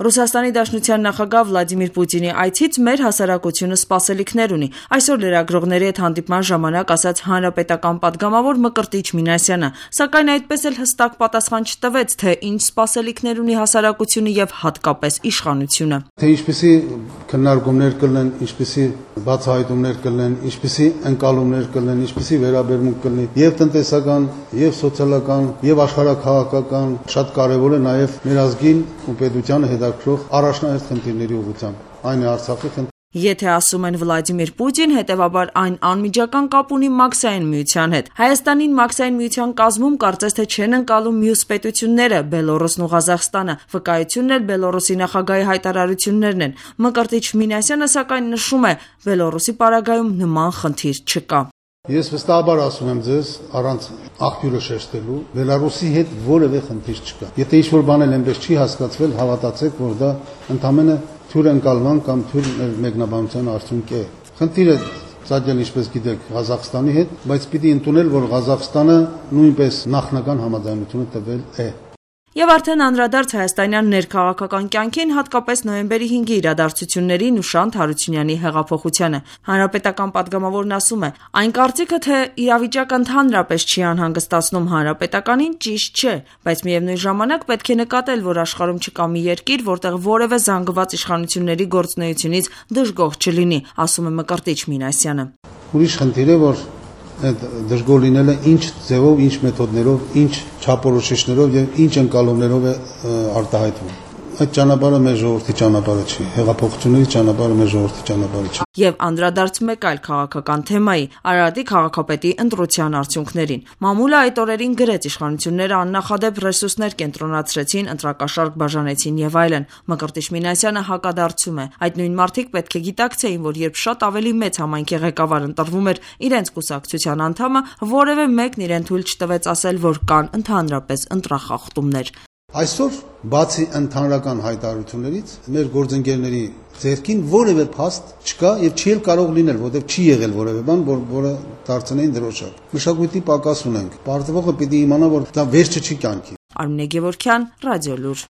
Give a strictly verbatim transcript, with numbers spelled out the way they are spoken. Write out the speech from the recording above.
Ռուսաստանի Դաշնության նախագահ Վլադիմիր Պուտինի այցից մեր հասարակությունը սպասելիքներ ունի, այսօր լրագրողների հետ հանդիպման ժամանակ ասաց հանրապետական պատգամավոր Մկրտիչ Մինասյանը, սակայն այդպես էլ հստակ պատասխան չտվեց, թե ինչ սպասելիքներ ունի հասարակությունը եւ հատկապես իշխանությունը։ Թե ինչպիսի քննարկումներ կլինեն, ինչպիսի բացահայտումներ կլինեն, ինչպիսի ընկալումներ կլինեն, ինչպիսի վերաբերմունք կլինի եւ տնտեսական, եւ սոցիալական, եւ աշխարհաքաղաքական, շատ կարեւոր է նաեւ մեր ազգին ու պետությանը հետաքրող առաջնահերթ խնդիրների ուղղությամբ։ Այն է Արցախի խնդիրը։ Եթե ասում են Վլադիմիր Պուտին, հետևաբար այն անմիջական կապ ունի Մաքսային միության հետ։ Հայաստանին Մաքսային միության կազմում կարծես թե չեն ընկալում մյուս պետությունները՝ Բելոռուսն ու Ղազախստանը։ Վկայությունն էլ Բելոռուսի նախագահի հայտարարություններն են։ Մկրտիչ Մինասյանը սակայն նշում է, Բելոռուսի պարագայում նման խնդիր չկա։ Ես վստահաբար ասում եմ ձեզ, առանց աղբյուրը շեշտելու, Բելոռուսի հետ որևէ խնդիր չկա։ Եթե ինչ-որ բան էլ այնպես չի հասկացվել, հավատացեք, որ դա ընդամենը թյուր ընկալման կամ թյուր մեկնաբանության արդյունք է։ Խնդիրը ծագել, ինչպես գիտեք, Ղազախստանի հետ, բայց պիտի ընդունել, որ Ղազախստանը նույնպես նախնական համաձայնությունը տվել է։ Եվ արդեն անդրադարձ հայաստանյան ներքաղաքական կյանքին, հատկապես նոյեմբերի հինգի իրադարձություններին ու Շանթ Հարությունյանի հեղափոխությանը։ Հանրապետական պատգամավորն ասում է, այն կարծիքը, թե իրավիճակը ընդհանրապես չի անհանգստացնում հանրապետականին, ճիշտ չէ, բայց միևնույն ժամանակ պետք է նկատել, որ աշխարհում չկա մի երկիր, որտեղ որևէ զանգված իշխանությունների գործունեությունից դժգոհ չլինի, ասում է Մկրտիչ Մինասյանը։ Ուրիշ խնդիր է, որ այդ դժգոհ լինելը ինչ ձևով, ինչ մեթոդներով, ինչ չափորոշիչներով եւ ինչ ընկալումներով է արտահայտվում։ Այդ ճանապարհը մեր ժողովրդի ճանապարհը չի, հեղափոխությունների ճանապարհը մեր ժողովրդի ճանապարհը չի։ Եվ անդրադարձ մեկ այլ քաղաքական թեմայի՝ Արարատի քաղաքապետի ընտրության արդյունքներին։ Մամուլը այդ օրերին գրեց, իշխանությունները աննախադեպ ռեսուրսներ կենտրոնացրեցին, ընտրակաշառք բաժանեցին եւ այլն։ Մկրտիչ Մինասյանը հակադարձում է։ Այդ նույն մարդիկ պետք է գիտակցեին, որ երբ շատ ավելի մեծ համայնքի ղեկավար ընտրվում էր իրենց կուսակցության անդամը, որևէ մեկն իրեն թույլ չտվեց ասել, որ կան ընդհանրապես ընտրախախտումներ։ Այսօր, բացի ընդհանրական հայտարարություններից, մեր գործընկերների ձեռքին որևէ փաստ չկա եւ չի էլ կարող լինել, որովհետեւ չի եղել որևէ բան, որ որը դարձնեին դրոշակ։ Մշակույթի պակաս ունենք։ Պարտվողը պիտի իմանա, որ դա վերջը չի կյանքի։ Արմինե Գևորգյան, Ռադիոլուր։